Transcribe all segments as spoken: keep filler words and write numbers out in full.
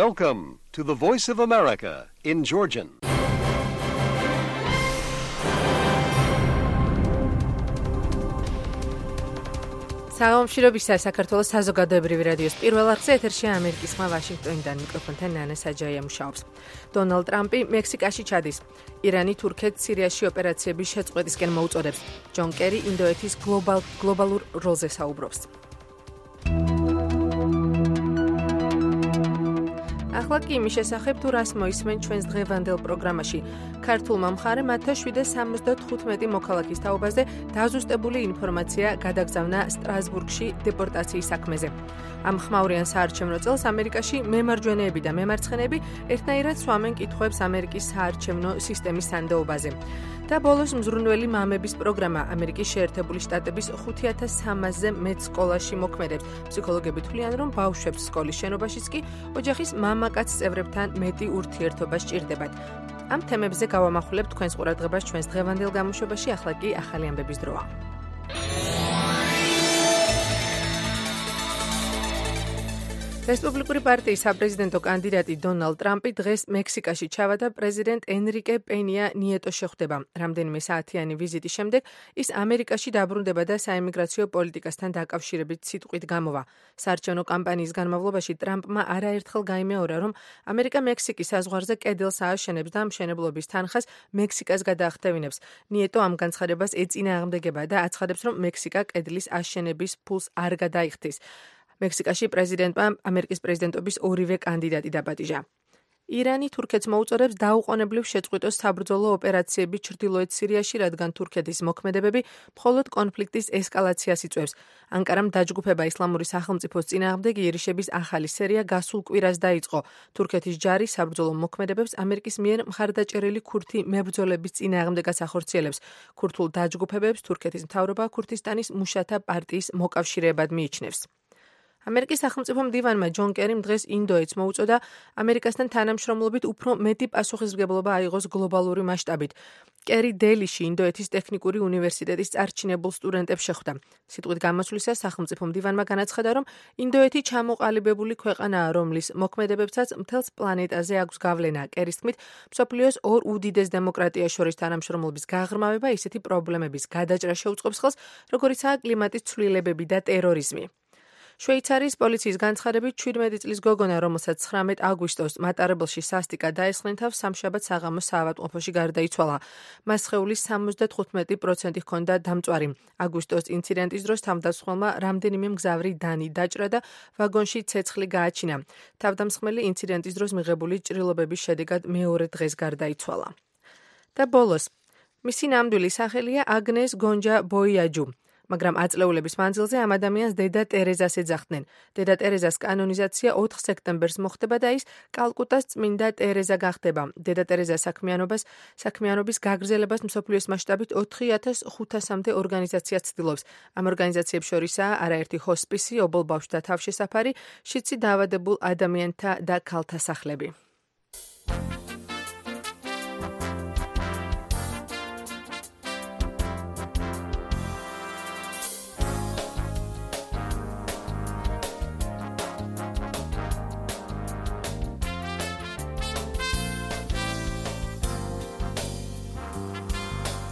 Welcome to the Voice of America in Georgian. საომშირობისა საქართველოს საზოგადოებრივი რადიოს პირველ არხზე ეთერშია ამერიკის ხმა ვაშინგტონიდან მიკროფონთან ნანა საჯაია მუშაობს. დონალდ ტრამპი მექსიკაში ჩადის. ირანი თურქეთს სირიაში ოპერაციების შეწყვეტისკენ მოუწოდებს. ჯონ კერი ინდოეთის გლობალ გლობალურ როლზე საუბრობს. ახლა კი იმის შესახებ თუ რას მოისმენ ჩვენს დღევანდელ პროგრამაში. ქართულმა მხარემ ათას შვიდსა სამოცდათხუთმეტი მოქალაქის თაობაზე დაზუსტებული ინფორმაცია გადაგზავნა სტრასბურგში დეპორტაციის საქმეზე. ამ ხმაურიან საარჩევნო წელს ამერიკაში მემარჯვენეები და მემარცხენეები ერთნაირად სვამენ კითხვებს ამერიკის საარჩევნო სისტემის სანდოობაზე. და ბოლოს მზრუნველი მამების პროგრამა ამერიკის შეერთებული შტატების ხუთი ათას სამასზე მეტ სკოლაში მოქმედებს. ფსიქოლოგები თვლიან, რომ ბავშვებს სკოლის შენობაშიც კი ოჯახის მამაკაც წევრებთან მეტი ურთიერთობა სჭირდებათ. ამ თემებზე გავამახვილებთ თქვენს ყურადღებას ჩვენს დღევანდელ გამოშვებაში, ახლა კი ახალი ამბების დროა. რესპუბლიკური პარტიის საპრეზიდენტო კანდიდატი დონალდ ტრამპი დღეს მექსიკაში ჩავარდა პრეზიდენტ ენრიკე პენია ნიეტოს შეხვდება. რამდენიმე საათიანი ვიზიტის შემდეგ ის ამერიკაში დაბრუნდება და საიმიგრაციო პოლიტიკასთან დაკავშირებით სიტყვით გამოვა. საარჩევნო კამპანიის განმავლობაში ტრამპმა არაერთხელ გაიმეორა, რომ ამერიკა მექსიკის საზღვარზე კედელს ააშენებს და მშენებლობის თანხას მექსიკას გადაახტევინებს. ნიეტო ამ განცხადებას ეწინააღმდეგება და აცხადებს, რომ მექსიკა კედლის აშენების ფულს არ გადაიხდის. მექსიკაში პრეზიდენტმა ამერიკის პრეზიდენტობის ორივე კანდიდატი დაპატიჟა. ირანი თურქეთს მოუწოდებს დაუყოვნებლივ შეწყვიტოს საბრძოლო ოპერაციები ჩრდილოეთ სირიაში, რადგან თურქეთის მოქმედებები მხოლოდ კონფლიქტის ესკალაციას იწვევს. ანკარამ დაჯგუფება ისლამური სახელმწიფოს წინააღმდეგ იერიშების ახალი სერია გასულ კვირას დაიწყო. თურქეთის ჯარი საბრძოლო მოქმედებებს ამერიკის მიერ მხარდაჭერილი ქურთი მებრძოლების წინააღმდეგაც ახორციელებს. ქურთულ დაჯგუფებებს თურქეთის მთავრობა ქურთისტანის მუშათა პარტიის მოკავშირეებად მიიჩნევს. ამერიკის სახელმწიფო მდივანმა ჯონ კერიმ დღეს ინდოეთს მოუწოდა ამერიკასთან თანამშრომლობით უფრო მეტი პასუხისმგებლობა აიღოს გლობალური მასშტაბით. კერი დელიში ინდოეთის ტექნიკური უნივერსიტეტის წარჩინებულ სტუდენტებს შეხვდა. სიტყვით გამოსვლისას სახელმწიფო მდივანმა განაცხადა, რომ ინდოეთი ჩამოყალიბებული ქვეყანაა, რომლის მოქმედებებსაც მთელს პლანეტაზე აქვს გავლენა. კერის თქმით, მსოფლიოს ორ უდიდეს დემოკრატიას შორის თანამშრომლობის გაღრმავება ისეთი პრობლემების გადაჭრა შეუწყობს ხელს, როგორიცაა კლიმატის ცვლილებები და ტერორიზმი. შვეიცარიის პოლიციის განცხადებით ჩვიდმეტი წლის გოგონა, რომელსაც ცხრამეტ აგვისტოს მატარებელში სასტიკად დაესხნენ თავს, სამშაბათ საღამოს საავადმყოფოში გარდაიცვალა. მას სხეულის სამოცდათხუთმეტი პროცენტი ჰქონდა დამწვარი. აგვისტოს ინციდენტის დროს თავდამსხმელმა რამდენიმე მგზავრი დანი დაჭრა და ვაგონში ცეცხლი გააჩინა. თავდამსხმელი ინციდენტის დროს მიღებული ჭრილობების შედეგად მეორე დღეს გარდაიცვალა. და ბოლოს, მისი ნამდვილი სახელია აგნეს გონჯა ბოიაჯუ. მაგრამ აწლეულების მანძილზე ამ ადამიანს დედა ტერეზას ეძახდნენ. დედა ტერეზას კანონიზაცია ოთხ სექტემბერს მოხდება და ის კალკუტას წმინდა ტერეზა გახდება. დედა ტერეზას საქმიანობას საქმიანობის გაგრძელებას მსოფლიოს მასშტაბით ოთხი ათას ხუთასამდე ორგანიზაცია ცდილობს. ამ ორგანიზაციებს შორისაა არაერთი ჰოსპისი, ობოლ ბავშვთა თავშესაფარი, შიდსი დაავადებულ ადამიანთა და ქალთა სახლები.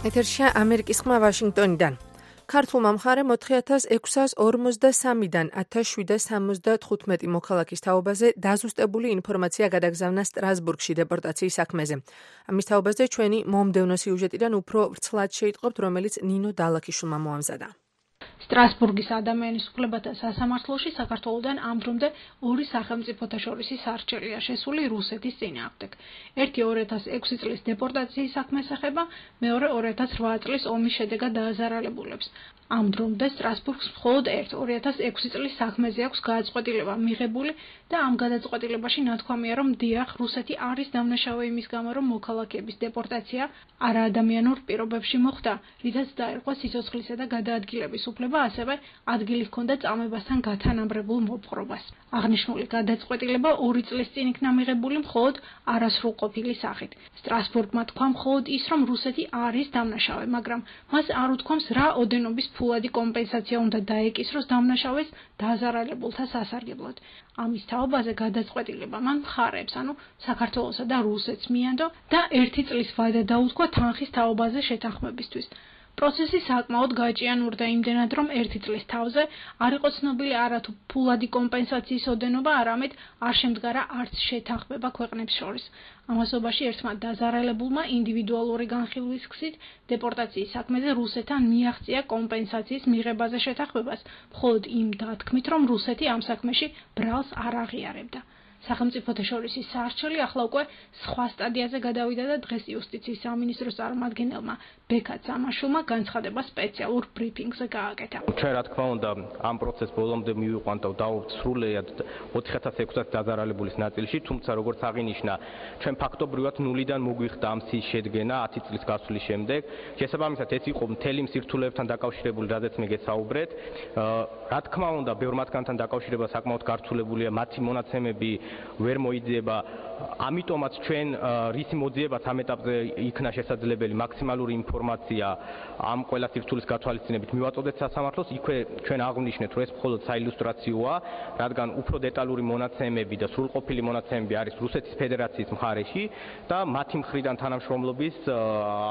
ეთერშია ამერიკის ხმა ვაშინგტონიდან. ქართულმა მხარემ ოთხი ათას ექვსას ორმოცდასამიდან ათას შვიდსა სამოცდათხუთმეტი მოქალაქის თაობაზე დაზუსტებული ინფორმაცია გადაგზავნა სტრასბურგში დეპორტაციის საქმეზე. ამის თაობაზე ჩვენი მომდევნო სიუჟეტიდან უფრო ვრცლად შეიტყობთ, რომელიც ნინო დალაქიშვილმა მოამზადა. სტრასბურგის ადამიანის უფლებათა სასამართლოში საქართველოდან ამ დრომდე ორი სახელმწიფოთა შორისი სარჩელია შესული რუსეთის წინააღმდეგ. ერთი ორი ათას ექვსი წლის დეპორტაციის საქმეს ეხება, მეორე ორი ათას რვა წლის ომის შედეგად დააზარალებულებს. ამ დრომდე სტრასბურგს მხოლოდ ერთ ორი ათას ექვსი წლის საქმეზე აქვს გადაწყვეტილება მიღებული და ამ გადაწყვეტილებაში ნათქვამია, რომ დიახ, რუსეთი არის დამნაშავე იმის გამო, რომ მოქალაქეების დეპორტაცია არაადამიანურ პირობებში მოხდა, რითაც დაერქვა სიცოცხლისა და გადაადგილების უფლება, ასევე ადგილი ჰქონდა წამებასთან გათანაბრებულ მოპყრობას. აღნიშნული გადაწყვეტილება ორი წლის წინ იქნა მიღებული მხოლოდ არასრულყოფილი სახით. სტრასბურგმა თქვა მხოლოდ ის, რომ რუსეთი არის დამნაშავე, მაგრამ მას არ უთქვამს რა ოდენობის ფულადი კომპენსაცია უნდა დაეკისროს დამნაშავეს დაზარალებულთა სასარგებლოდ. ამის თაობაზე გადაწყვეტილება მან მხარეებს, ანუ საქართველოსა და რუსეთს მიანდო და ერთი წლის ვადა დაუთქვა თანხის თაობაზე შეთანხმებისთვის. პროცესი საკმაოდ გაჭიანურდა იმდენად, რომ ერთი წლის თავზე არ იყო ცნობილი არათუ ფულადი კომპენსაციის ოდენობა, არამედ არ შემდგარა არც შეთანხმება ქვეყნებს შორის. ამასობაში ერთმა დაზარალებულმა ინდივიდუალური განხილვის გზით დეპორტაციის საქმეზე რუსეთთან მიაღწია კომპენსაციის მიღებაზე შეთანხმებას, მხოლოდ იმ დათქმით, რომ რუსეთი ამ საქმეში ბრალს არ აღიარებდა. სახელმწიფოთა შორის საარჩელი ახლა უკვე სხვა სტადიაზე გადავიდა და დღეს იუსტიციის სამინისტროს წარმომადგენელმა ბექა წამაშულმა განცხადება სპეციალურ ბრიფინგზე გააკეთა. ჩვენ რა თქმა უნდა ამ პროცესს ბოლომდე მივიყვანთ და დავუვთ სრულიად ოთხი ათას ექვსი დაზარალებულის ნაწილში, თუმცა როგორც აღინიშნა, ჩვენ ფაქტობრივად ნულიდან მოგვიხდა ამ სიის შედგენა ათი წლის გასვლის შემდეგ. შესაბამისად ეს იყო მთელი მსირთულეებთან დაკავშირებული, რადგან მე გესაუბრეთ. რა თქმა უნდა, ბევრ მათგანთან დაკავშირება საკმაოდ გართულებულია, მათი მონაცემები ვერ მოიძიება, ამიტომაც ჩვენ რისი მოძიებაც ამ ეტაპზე იქნა შესაძლებელი მაქსიმალური ინფორმაცია ამ ყველა სირთულის გათვალისწინებით მივაწოდეთ სასამართლოს. იქვე ჩვენ აღვნიშნეთ, რომ ეს მხოლოდ საილუსტრაციოა, რადგან უფრო დეტალური მონაცემები და სრულყოფილი მონაცემები არის რუსეთის ფედერაციის მხარეში და მათი მხრიდან თანამშრომლობის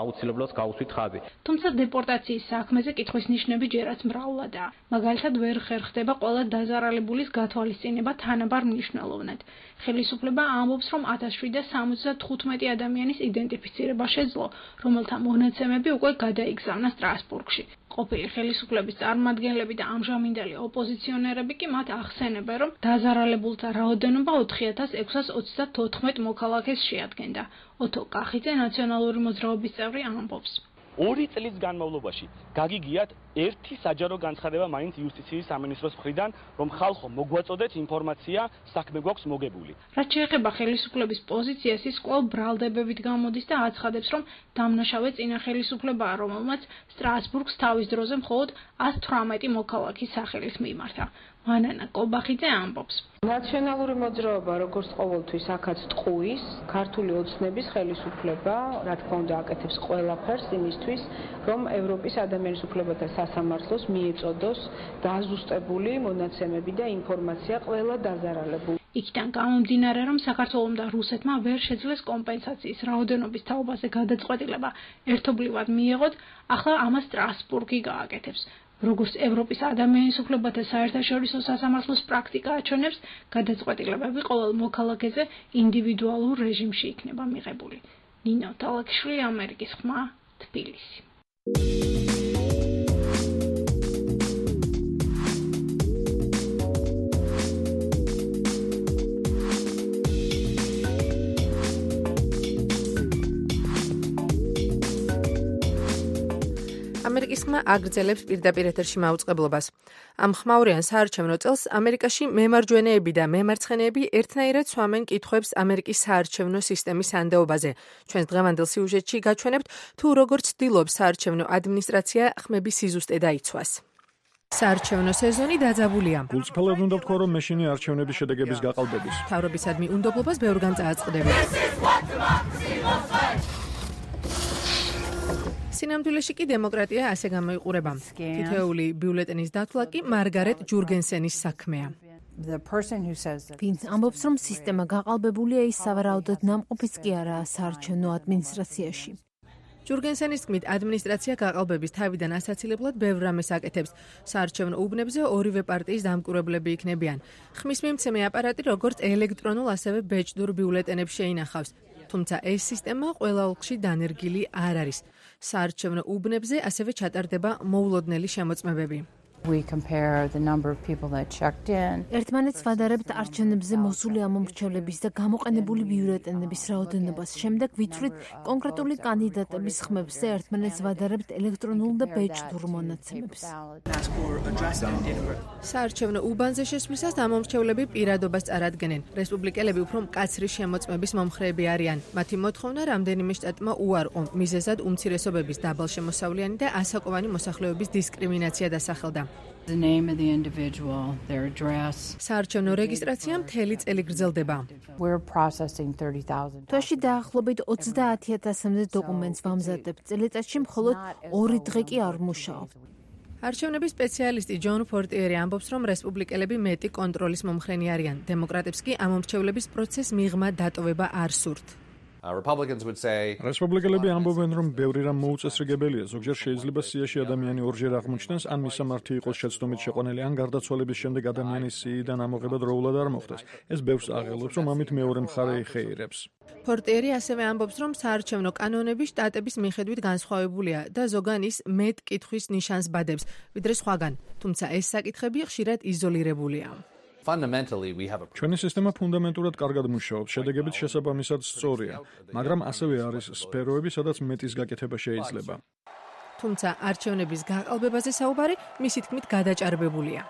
აუცილებლობას გაუსვით ხაზი. თუმცა დეპორტაციის საქმეზე კითხვის ნიშნები ჯერაც მრავლადაა. მაგალითად, ვერ ხერხდება ყველა დაზარალებულის გათვალისწინება თანაბარ მნიშვნელოვნად. ხელისუფლება ამბობს, რომ ათას შვიდსა სამოცდა თხუთმეტი ადამიანის იდენტიფიცირება შეძლო, რომელთა მონაცემები უკვე გადაიგზავნა სტრასბურგში. ყოფილი ხელისუფლების წარმომადგენლები და ამჟამინდელი ოპოზიციონერები კი მათ ახსენებენ, რომ დაზარალებულთა რაოდენობა ოთხი ათას ექვსას ოცდათოთხმეტ მოქალაქეს შეადგენდა. ოთო კახიძე, ნაციონალური მოძრაობის წევრი, ამბობს. ორი წლის განმავლობაში გაგიგიათ ერთი საჯარო განცხადება მაინც იუსტიციის სამინისტროს მხრიდან, რომ ხალხო მოგვაწოდეთ ინფორმაცია, საქმე გვაქვს მოგებული. რაც შეეხება ხელისუფლების პოზიციას, ის კვლავ ბრალდებებით გამოდის და აცხადებს, რომ დამნაშავე წინა ხელისუფლებაა, რომელმაც სტრასბურგს თავის დროზე მხოლოდ ათს თვრამეტი მოქალაქის სახელით მიმართა. მანანა კობახიძე ამბობს. ნაციონალური მოძრაობა როგორც ყოველთვის აქაც ტყუის, ქართული ოცნების ხელისუფლება, რა თქმა უნდა, აკეთებს ყველაფერს იმისთვის, რომ ევროპის ადამიანის უფლებათა სასამართლოს მიეწოდოს დაზუსტებული მონაცემები და ინფორმაცია ყველა დაზარალებულ. იქიდან გამომდინარე, რომ საქართველომ და რუსეთმა ვერ შეძლეს კომპენსაციის რაოდენობის თაობაზე გადაწყვეტილება ერთობლივად მიეღოთ, ახლა ამას სტრასბურგი გააკეთებს. როგორც ევროპის ადამიანის უფლებათა საერთაშორისო სასამართლოს პრაქტიკა აჩვენებს, გადაწყვეტილებები ყოველ მოქალაქეზე ინდივიდუალურ რეჟიმში იქნება მიღებული. ნინო თალაკიშვილი, ამერიკის ხმა, თბილისი. ამერიკის ხმა აგრძელებს პირდაპირ ეთერში მაუწყებლობას. ამ ხმაურიან საარჩევნო წელს ამერიკაში მემარჯვენეები და მემარცხენეები ერთნაირად სვამენ კითხვებს ამერიკის საარჩევნო სისტემის სანდეობაზე. ჩვენს დღევანდელ სიუჟეტში გაჩვენებთ, თუ როგორ ცდილობს საარჩევნო ადმინისტრაცია ხმების სიზუსტე დაიცვას. საარჩევნო სეზონი დაძაბულია. გულწრფელად უნდა ვთქვა, რომ მეშინი არჩევნების შედეგების გაყალბების. მთავრობისადმი უნდობლობას ბევრგან წააწყდები. სინამდვილეში კი დემოკრატია ასე გამოიყურება. თითოეული ბიულეტენის დათვლა კი მარგარეტ ჯურგენსენის საქმეა. ვინც ამბობს, რომ სისტემა გაყალბებულია, ის სავარაუდოდ ნამყოფიც კი არაა საარჩევნო ადმინისტრაციაში. ჯურგენსენის თქმით, ადმინისტრაცია გაყალბების თავიდან ასაცილებლად ბევრ რამეს აკეთებს. საარჩევნო უბნებზე ორივე პარტიის დამკვირვებლები იქნებიან. ხმის მიმცემი აპარატი როგორც ელექტრონულ, ასევე ბეჭდურ ბიულეტენებს შეინახავს. თუმცა ეს სისტემა ყველა ოლქში დანერგილი არ არის. საარჩევნო უბნებზე ასევე ჩატარდება მოულოდნელი შემოწმებები. ერთმანეთს ვადარებთ არჩევნებზე მოსული ამომრჩევლების და გამოყენებული ბიულეტენების რაოდენობას. შემდეგ ვიცვლით კონკრეტული კანდიდატების ხმებს და ერთმანეთს ვადარებთ ელექტრონულ და ბეჭდურ მონაცემებს. საარჩევნო უბანზე შესვლისას ამომრჩევლები პირადობას წარადგენენ. რესპუბლიკელები უფრო მკაცრი შემოწმების მომხრეები არიან. მათი მოთხოვნა რამდენიმე შტატმა უარყო, მიზეზად უმცირესობების დაბალშემოსავლიანი და ასაკოვანი მოსახლეობის დისკრიმინაცია დასახელდა. საარჩევნო რეგისტრაცია მთელი წელი გრძელდება. თვეში დაახლოებით ოცდაათი ათასამდე დოკუმენტს ვამზადებთ. წელიწადში მხოლოდ ორი დღე კი არ მუშაობ. არჩევნების სპეციალისტი ჯონ ფორტიერი ამბობს, რომ რესპუბლიკელები მეტი კონტროლის მომხრენი არიან. დემოკრატებს კი ამ მომრჩევლების პროცესს მიღმა დატოვება არ სურთ. რესპუბლიკელები ამბობენ, რომ ბევრი რამ მოუწესრიგებელია. ზოგჯერ შეიძლება სიაში ადამიანი ორჯერ აღმოჩნდეს, ან მისამართი იყოს შეცდომით შეყვანილი, ან გარდაცვალების შემდეგ ადამიანის სიიდან ამოღება დროულად არ მოხდეს. ეს ბევრს აღელვებს, რომ ამით მეორე მხარე იხეირებს. ფორტიერი ასევე ამბობს, რომ საარჩევნო კანონები შტატების მიხედვით განსხვავებულია და ზოგან ის მეტ კითხვის ნიშანს ბადებს, ვიდრე სხვაგან, თუმცა ეს საკითხები ხშირად იზოლირებულია. ჩვენი სისტემა ფუნდამენტურად კარგად მუშაობს, შედეგებიც შესაბამისად სწორია, მაგრამ ასევე არის სფეროები, სადაც მეტის გაკეთება შეიძლება. თუმცა არჩევნების გაყალბებაზე საუბარი მისი თქმით გადაჭარბებულია.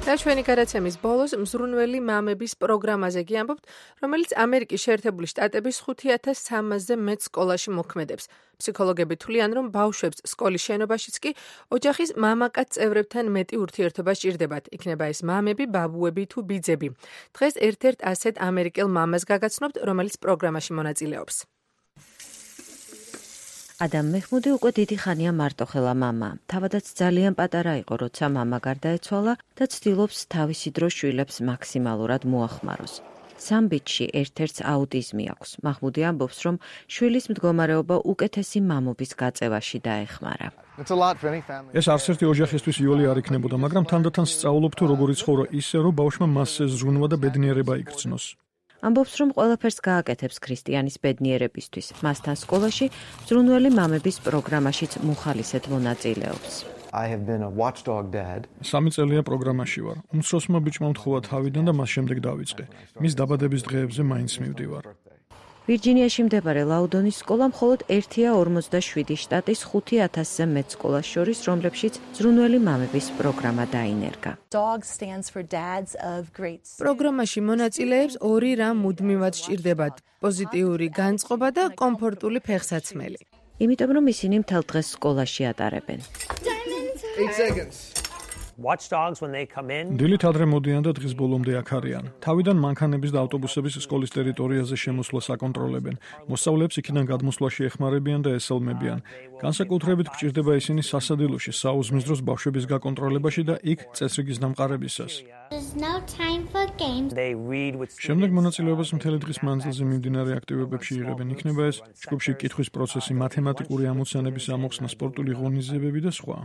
და ჩვენი გადაცემის ბოლოს მზრუნველი მამების პროგრამაზე გიამბობთ, რომელიც ამერიკის შეერთებული შტატების ხუთი ათას სამასზე მეტ სკოლაში მოქმედებს. ფსიქოლოგები თვლიან, რომ ბავშვებს სკოლის შენობაშიც კი ოჯახის მამაკაც წევრებთან მეტი ურთიერთობა სჭირდებათ. იქნება ეს მამები, ბაბუები თუ ბიძები. დღეს ერთ-ერთ ასეთ ამერიკელ მამას გაგაცნობთ, რომელიც პროგრამაში მონაწილეობს. ადამ მეჰმუდი უკვე დიდი ხანია მარტოხელა მამა. თავადაც ძალიან პატარა იყო, როცა მამა გარდაეცვალა და ცდილობს თავისი დრო შვილებს მაქსიმალურად მოახმაროს. სამბიჩში ერთ-ერთს აუტიზმი აქვს. მაჰმუდი ამბობს, რომ შვილის მდგომარეობა უკეთესი მამობის გაწევაში დაეხმარა. ეს არც ერთი ოჯახისთვის იოლი არ იქნებოდა, მაგრამ თანდათან სწავლობ თუ როგორ იცხოვრო ისე, რომ ბავშვმა მასზე ზრუნვა და ბედნიერება იგრძნოს. ამბობს, რომ ყველაფერს გააკეთებს ქრისტიანის ბედნიერებისთვის. მასთან სკოლაში მზრუნველი მამების პროგრამაშიც მუხალისედ მონაწილეობს. სამი წელია პროგრამაში ვარ. უმცროსმა ბიჭმა მთხოვა თავიდან და მას შემდეგ დავიწყე. მის დაბადების დღეებზე მაინც მივდივარ. ვირჯინიაში მდებარე ლაუდონის სკოლა მხოლოდ ერთია ორმოცდაშვიდი შტატის ხუთი ათასზე მეტ სკოლას შორის, რომლებშიც მზრუნველი მამების პროგრამა დაინერგა. პროგრამაში მონაწილეებს ორი რამ მუდმივად სჭირდებათ: პოზიტიური განწყობა და კომფორტული ფეხსაცმელი. იმიტომ რომ ისინი მთელ დღეს სკოლაში ატარებენ. დილით ადრე მოდიან და დღის ბოლომდე აქ არიან. თავიდან მანქანების და ავტობუსების სკოლის ტერიტორიაზე შემოსვლას აკონტროლებენ. მოსწავლეებს იქიდან გადმოსვლაში ეხმარებიან და ესალმებიან. განსაკუთრებით გვჭირდება ისინი სასადილოში, საუზმის დროს ბავშვების გაკონტროლებაში და იქ წესრიგის დამყარებისას. შემდეგ მონაწილეობას მთელი დღის მანძილზე მიმდინარე აქტივობებში იღებენ. იქნება ეს ჯგუფში კითხვის პროცესი, მათემატიკური ამოცანების ამოხსნა, სპორტული ღონისძიებები და სხვა.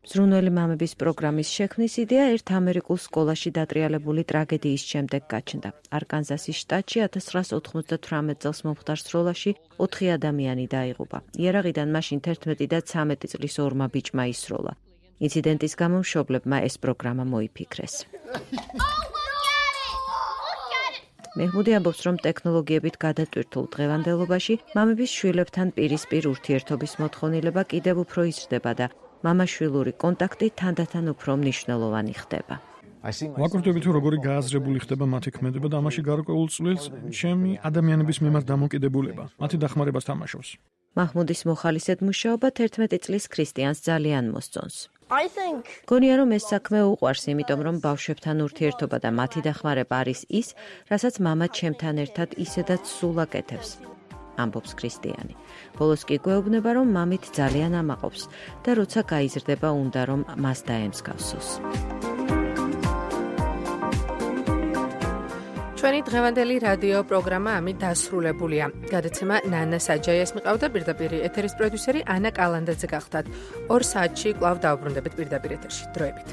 მზრუნველი მამების პროგრამის შექმნის იდეა ერთ ამერიკულ სკოლაში დატრიალებული ტრაგედიის შემდეგ გაჩნდა. არკანზასის შტატში ათას ცხრაას ოთხმოცდათვრამეტ წელს მომხდარ სროლაში ოთხი ადამიანი დაიღუპა. იარაღიდან მაშინ თერთმეტი და ცამეტი წლის ორმა ბიჭმა ისროლა. ინციდენტის გამო მშობლებმა ეს პროგრამა მოიფიქრეს. მეჰმუდი ამბობს, რომ ტექნოლოგიებით გადატვირთულ დღევანდელობაში მამების შვილებთან პირისპირ ურთიერთობის მოთხოვნილება კიდევ უფრო იზრდება და მამა-შვილური კონტაქტი თანდათან უფრო მნიშვნელოვანი ხდება. ვაკურთები თუ როგორი გააზრებული ხდება მათი ქმედება და ამაში გარკვეულ წვლილს ჩემი ადამიანების მიმართ დამოკიდებულება, მათი დახმარებას თამაშობს. მაჰმუდის მოხალისედ მუშაობა თერთმეტი წლის ქრისტიანს ძალიან მოსწონს. გონია რომ ეს საქმე უყვარს, იმიტომ რომ ბავშვებთან ურთიერთობა და მათი დახმარება არის ის, რასაც მამა ჩემთან ერთად ისედაც სულ აკეთებს. ამბობს ქრისტიანი. ბოლოს კი გვეუბნება, რომ მამით ძალიან ამაყობს და როცა გაიზრდება, უნდა რომ მას დაემსგავსოს. ჩვენი დღევანდელი რადიო პროგრამა ამით დასრულებულია. გადაცემა ნანა საჯაიას მიყავდა, პირდაპირ ეთერის პროდიუსერი ანა კალანდაძე გახდათ. ორ საათში კვლავ დავბრუნდებით პირდაპირ ეთერში. დროებით.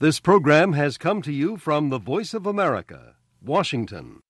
This program has come to you from the Voice of America, Washington.